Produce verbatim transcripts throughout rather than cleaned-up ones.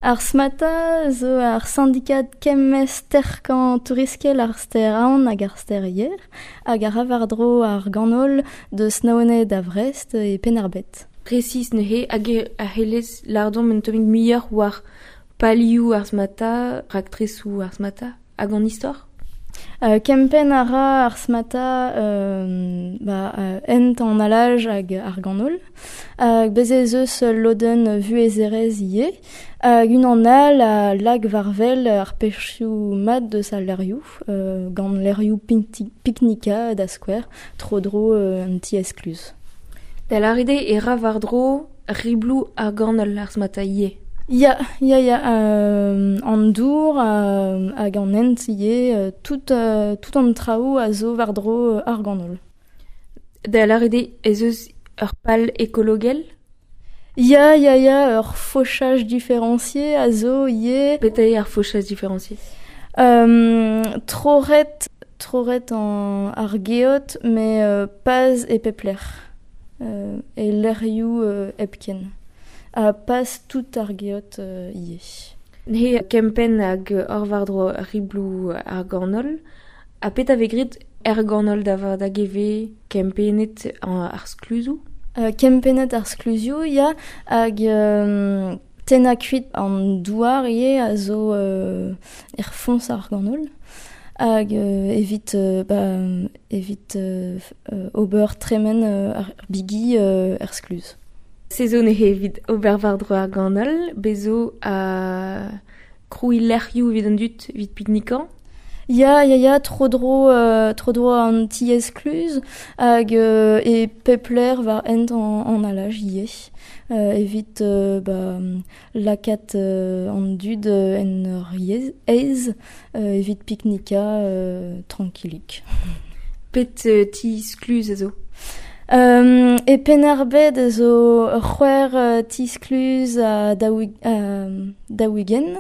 Ar smata zo ar syndikat kemmez terkañ touriskel ar ster aon hag ar ster yer, hag ar war-dro ar ganol deus Naoned da Vrest e Penn-ar-Bed. Precis neuze hag a c'hellez lardon un tammig muioc'h war palioù ar smata, raktresoù ar smata, hag an istor? Euh, kempenn a ra ar smata euh, ba, euh, ent an alaj hag ar ganol. Hag bez ez eus lodenn vuhezerezh ivez. Hag unan all a lag war-wel ar pechioù mat deus al lec'hioù, euh, gant lec'hioù piknika da skouer, tro-dro euh, un ti eskluz. Da lâret eo e ra war-dro ribloù ar ganol ar smata ivez. Ya, ya, ya, euh, an dour euh, hag an hent ivez, euh, tout, euh, tout an traoù a zo war-dro ar ganol. Da lâret eo ez eus ur pal ekologel? Ya, ya, ya, ur fauchage différencié a zo ivez. Petra eo ar fauchage différencié? Euh, troret, troret an ar geot, met euh, paz e pep lec'h. Euh, e lec'hioù euh, hepken. A pas tout ar geot euh, ivez. Neuze kempenn hag ur war-dro ribloù ar ganol, ha petra vez graet er ganol da vat hag e vez kempennet ar skluzoù? Euh, kempennet ar skluzioù, ya, hag euh, tennañ kuit an douar ivez a zo euh, er foñs ar ganol. Hag euh, evit, euh, ba, evit euh, ober tremen euh, ar bigi euh, er skluz. Se zo neuze evit ober war-dro ar ganol, bez zo a krouiñ lec'hioù evit an dud evit piknikañ? Ya, ya, ya, tro-dro, euh, tro-dro an ti eskluz hag euh, e pep lec'h war hent an, an alaj ivez. Euh, evit euh, ba, lakaat euh, an dud en ur aez euh, evit piknikañ euh, trankilik. Pet euh, ti skluz a zo? Euh, e Penn-ar-Bed a zo ur c'hwec'h euh, ti skluz a daou-ugent,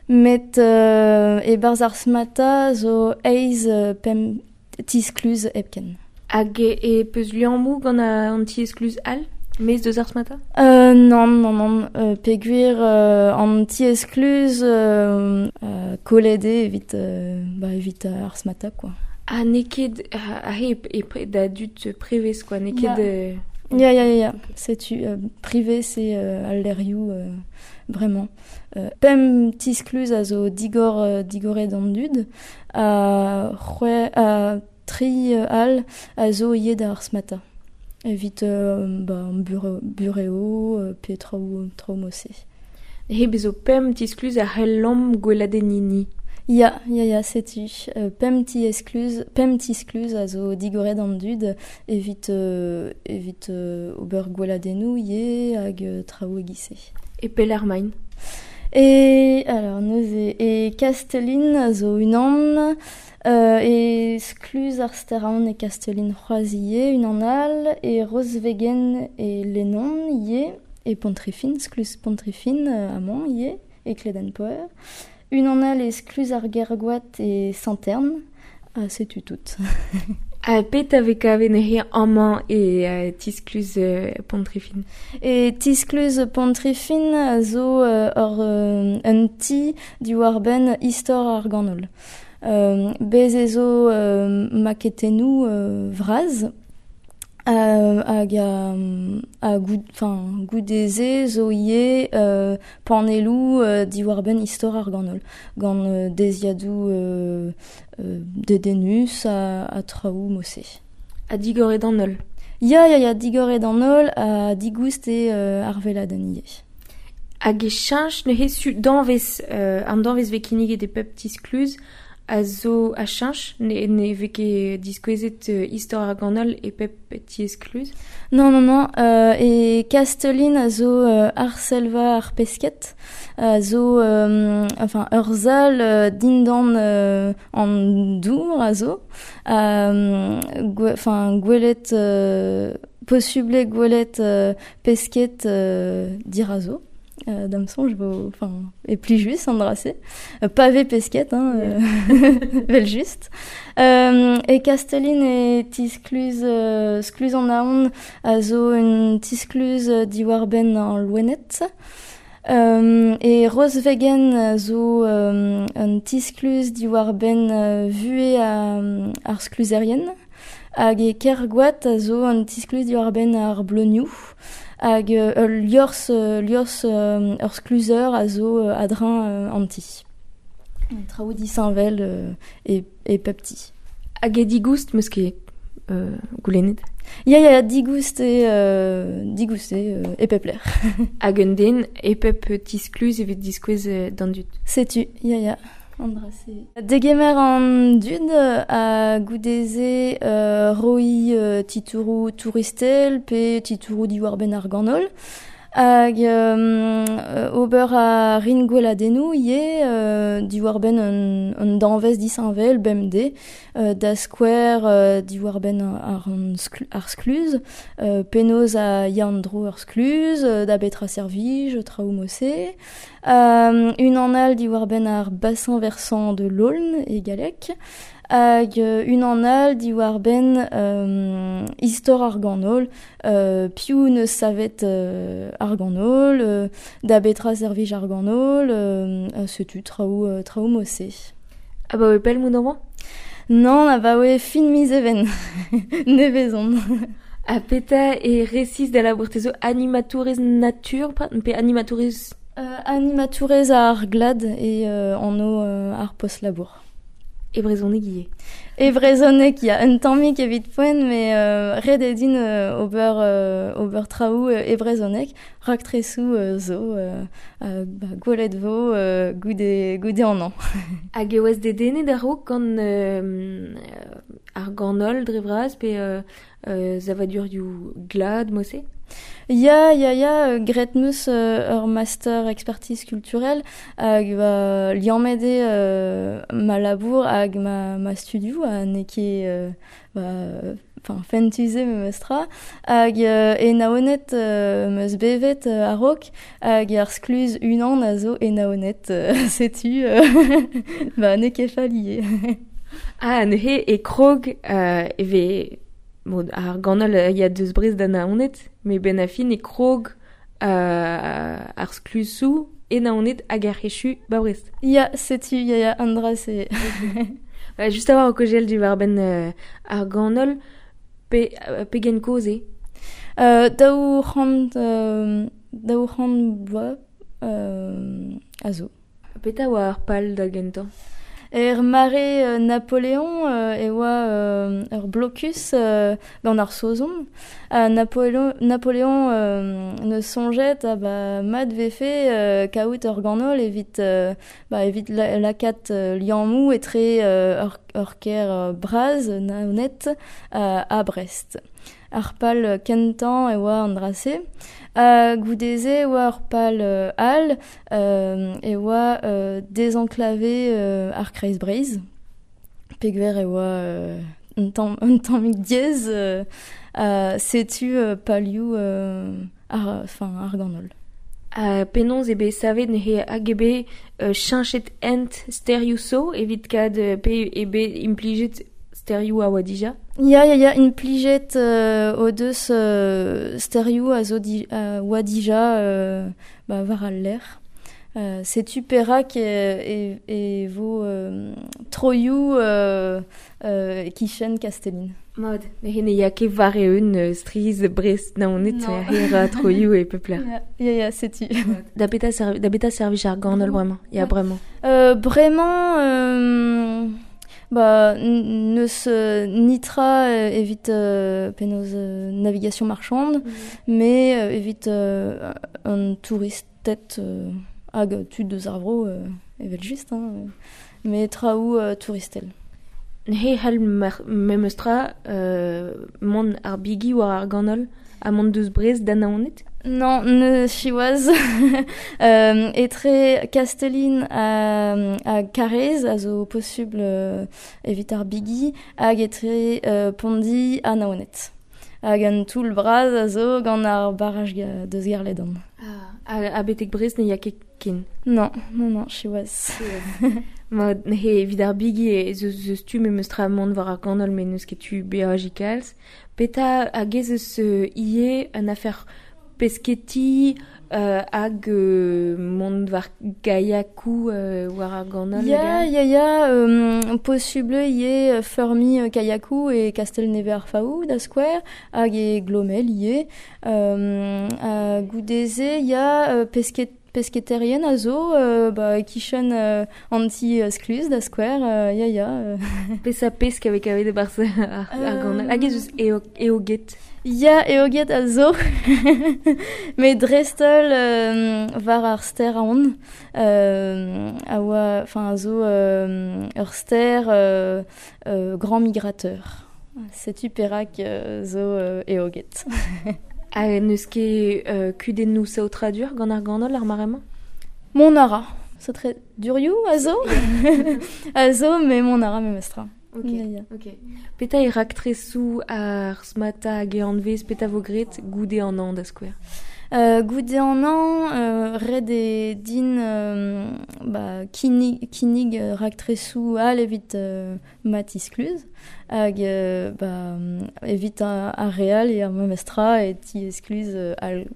met euh, e-barzh ar smata zo eizh pemp ti skluz hepken. Hag e peus liammoù gant an ti eskluz all? Maez deus ar smata? Euh, non, non, non, euh, peogwir euh, an ti eskluz euh, euh, kollet eo evit, euh, ba, evit ar smata, quoi. Ah, n'eo ket aze e, e, da dud prevez, quoi, n'eo ket... Ya, ya, ya, ya, ya. Setu, euh, privé, c'est euh, al lec'hioù, euh, vraiment. Euh, pemp ti skluz a zo digor, euh, digoret an dud, ha c'hwec'h, ha tri all a zo ivez d'ar smata. Evit euh, ba, bure, bureo, euh, pe traoù, traoù mod-se. He bez zo pemp ti skluz a c'hellomp gweladenniñ ni. Ya, ya, ya, setu. Euh, pemp ti eskluz, pemp ti skluz a zo digoret an dud evit, euh, evit euh, ober gweladennoù ivez hag euh, traoù e-giz-se. E pelec'h emaint? E, alors, neuze, e Kastellin a zo unan, euh, e skluz ar Steraon e Kastellin c'hoazh ivez, unan all, e Rosvegen e Lennon ivez, e Pontrifin, skluz Pontrifin euh, amañ ivez, e Kledenpoer. Unan all e skluz ar Gergoat e Saint-Erne, ha setu tout. Ha pet a vez kavet neuze amañ e uh, ti-skluz uh, Pontrifin? E ti-skluz Pontrifin a zo uh, ur, uh, un ti diwar-benn istor ar ganol. Euh, bez ez zo euh, maketennoù euh, vras, euh, hag a, a goud, enfin, goude-se zo ivez euh, panelloù euh, diwar-benn istor ar ganol, gant euh, deziadoù euh, euh, dedennus ha, ha traoù mod-se. Ha digoret an holl? Ya, ya, ya, digoret an holl ha digoust eo euh, ar veladenn ivez. Hag e cheñch neuze su danvez, euh, an danvez vez kinniget e pep ti skluz a zo a cheñch, ne, ne vez ket diskouezet euh, istor ar ganol e pep ti eskluz? Non, non, non, euh, e Kastellin a zo euh, ar selva ar pesket, a zo, euh, enfin, ur sal euh, dindan euh, an dour a zo, euh, gwe, enfin, gwelet, euh, posubl eo gwelet euh, pesket euh, dirazo. Euh, da'm soñj vo, enfin, e plijus an dra-se. Euh, pavé pesket, hein, euh, vel just. Euh, e Kastellin e ti-skluz, euh, skluz an Aon a zo un ti-skluz diwar-benn an loened. Euh, e Rosvegen zo euh, un tiskluz diwar ben euh, vue a, ar skluzerien, hag e Kergoat a zo un tiskluz diwar ben ar bleunioù, hag euh, liors, liors euh, ur skluzer a zo euh, adrin euh, anti. Traoù disheñvel euh, e, e pepti. Hag e digoust meus ket euh, goulennet? Ya, ya, digoust e, euh, digoust e, euh, e pepler. Hag un den e pep tiskluz evit diskouez euh, d'an dud. Setu, ya, ya. Andrase. Degemer an dud a goudeze euh, roi euh, titourou touristel pe titourou diwar ben ar ganol. Hag euh, ober a rin gweladennoù ivez euh, diwar ben un, un danvez disheñvel bemdez euh, da skouer euh, diwar ben ar, ar skluz euh, penaos a ya an dro ar skluz euh, da betra servij traoù mose euh, un an all diwar ben ar bassin versant de l'Aulne e galleg hag un an all diwar ben euh, istor ar ganol, euh, piv neus savet euh, ar ganol, euh, da betra servij ar ganol, euh, setu traoù, euh, traoù mose. Ah ba oe pell moun amañ? Non, a ba oe fin miz even, nevezon. A peta e resis da labour te zo animatourez natur, pe animatourez... Euh, animatourez ar glad e euh, anv euh, ar post labour. E brezhoneg ivez. E brezhoneg, ya, un tammig evit poent, met euh, ret eo din euh, ober, euh, ober traoù euh, e brezhoneg, raktresoù euh, zo, euh, euh, ba, gwelet vo euh, goude, goude an an. Hag e oas dedennet a-raok gant euh, ar ganol dre vras pe euh, euh, savadurioù glad mose? Ya, ya, ya, graet meus euh, ur master expertise culturelle hag ba, liammet eo euh, ma labour hag ma, ma studioù ha n'eo ket euh, ba, enfin, fentus eo memes tra hag euh, e Naoned euh, meus bevet euh, a-raok hag ar skluz unan a zo e Naoned euh, setu euh, ba, n'eo ket fall ivez. Ah, neuze e krog euh, e vez Bon, ar ganol ya deus Brest da Naoned, met ben a fin e krog euh, ar sklusoù e Naoned hag ar c'hechu ba Brest. Ya, setu, ya, ya, an dra se. Ouais, just a-walc'h o kogel diwar ben euh, ar ganol, pe, euh, pegen kozh eo? Euh, daou c'hant, euh, daou c'hant bloaz euh, a zo. Petra oa ar pal da gentañ? Er mare euh, Napoléon euh, e oa euh, ur blokus euh, gant ar Saozon. Ha Napoléon, Napoléon euh, ne soñjet a ba mat vefe euh, kaout ur ganol evit, euh, ba, evit la, lakaat euh, liammoù etre euh, ur, ur kêr euh, bras Naoned euh, ha Brest. Ar pal kentañ e oa an dra-se. Ha goude-se e oa ur pal euh, all euh, e oa euh, désenclavé euh, ar Kreiz Breizh. Pegver e oa euh, un tamm, un tammig diaes euh, euh, setu euh, palioù euh, ar, enfin, ar ganol. Ha penaos eo bet savet neuze hag eo bet euh, cheñchet hent sterioù zo evit kad pe eo bet implijet sterioù a oa dija? Ya, ya, ya, implijet euh, o deus euh, sterioù a zo di, a oa dija euh, ba, war al lec'h. Euh, setu perak e, e, e vo euh, troioù euh, euh, e-kichen Kastellin. Mod, neuze ne ya ket war eeun euh, striz Brest Naoned Non. her a troioù e pep lec'h. Ya, ya, ya, setu. Da beta serv, da beta servij ar ganol bremañ? Ya, bremañ. Euh, bremañ, euh, ba, neus euh, nitra euh, evit euh, penaos euh, navigation marchande, mm. mais euh, evit euh, un touristed euh, hag tud deus ar vro euh, evel just, hein, mais traoù euh, touristel. Neuze c'hall memes tra euh, mont ar bigi war ar ganol ha mont deus Brest da Naoned? Non, ne siwazh. euh, etre Kastellin ha, ha Karaez a zo posubl euh, evit ar bigi hag etre euh, Pondi ha Naoned. Hag an toull bras a zo gant ar barraj deus Guerlédan. Ah, ha, ha betek Brest ne ya ket ken? Non, non, non, siwazh. Ma, neuze evit ar bigi e zeus, zeus tu memes tra mont war ar ganol met n'eus ket tu beajiñ kalz. Petra hag ez eus euh, ivez un afer pesketi euh, hag euh, mont war kayakou euh, war ar ganol. Ya, ya, ya, euh, possible ivez feurmi euh, kayakou e Kastel-Nevez ar Faou da skouer, hag e Glomel ivez. Euh, ha goude-se ya euh, pesket pesketerien a zo, euh, ba, e-kichen euh, an ti euh, skluz da skouer, euh, ya, ya. Euh. Pesa pesk avec kavet e-barzh ar, ar ganol. Hag ez eus eo, eoged. Ya, eoged a zo, met dreist-holl euh, war ar stêr Aon, euh, a oa, enfin, a zo euh, ur stêr euh, euh, grand migrateur. Setu perak euh, zo euh, eoged. Ha n'eus ket euh, kudennoù saotradur gant ar ganol ar mare-mañ? Mont a ra. Saotradurioù a zo? A zo, met mont a ra memestra. Ok, Ya, ya. ok. Petra eo raktresoù ar smata hag e anvez, petra vo graet goude an hañv da skouer? Euh, goude an hañv, euh, ret eo din euh, ba, kinnig, kinnig euh, raktresoù all evit euh, ma ti-skluz hag euh, ba, evit ar, ar re all eo ar memestra e ti-skluz euh, all.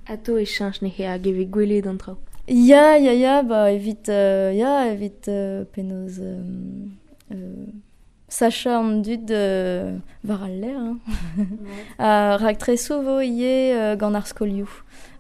Atao e cheñch neuze hag e vez gwelet an traoù. Ya, ya, ya, ba, evit, euh, ya, evit euh, penaos euh, euh, sachañ an dud euh, war al lec'h. Hein. Ha raktresoù vo ivez euh, gant ar skolioù.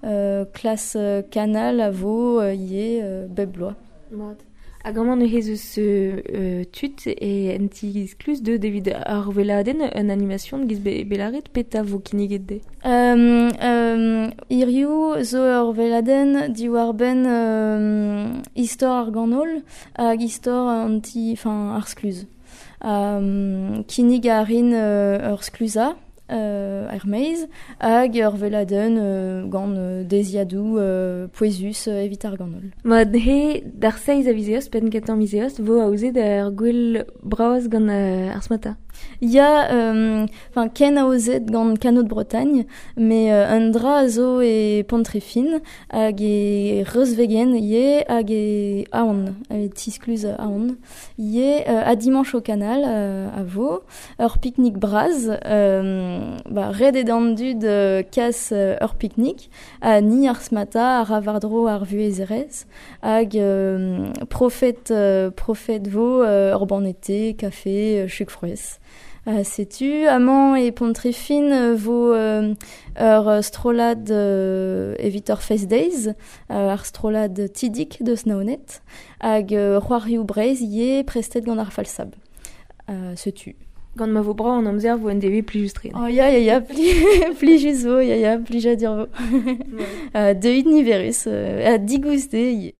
Euh, klas euh, Canal a vo euh, ivez euh, bep bloaz. Mat. Hag amañ neuze ez eus euh, tud e en ti-skluz deuet evit ar weladenn un animation giz be, belaret petra vo kinniget dezhe? Euh, euh, hiriv zo ur weladenn diwar-benn euh, istor ar ganol hag istor an ti, enfin, ar skluz. Euh, kinnig a rin euh, ur skluza euh, er maez hag ur weladenn euh, gant euh, deziadoù euh, pouezus euh, evit ar ganol. Mat he d'ar seizh a viz Eost, penn kentañ miz Eost, vo aozet ur gwel bras gant euh, ar smata. Ya, euh, enfin, ken aozet gant Canot de Bretagne, mais euh, un dra a zo e Pontrefin hag e Reuzvegen ivez hag e Aon, e ti-skluz Aon. Ivez euh, ha dimanche au canal euh, a vo, ur pique-nique bras, euh, ba, ret eo d'an dud euh, kas euh, ur pique-nique, ha ni ar smata ar war-dro ar vuhezerezh, hag euh, profet, euh, profet vo euh, ur banne-te, kafe, euh, chug frouezh. Uh, setu, amañ e Pontrefin euh, vo euh, ur strollad euh, evit ur Fest Days, euh, ar strollad Tidik deus Naoned, hag euh, c'hoarioù Breizh ivez prestet gant ar Falsab. Uh, setu. Gant ma vo brav an amzer vo un devezh plijus-tre. Oh, ya, ya, ya, pli, plijus vo, ya, ya, plijadur vo. Uh, deuit niverus, euh, ha digoust eo ivez.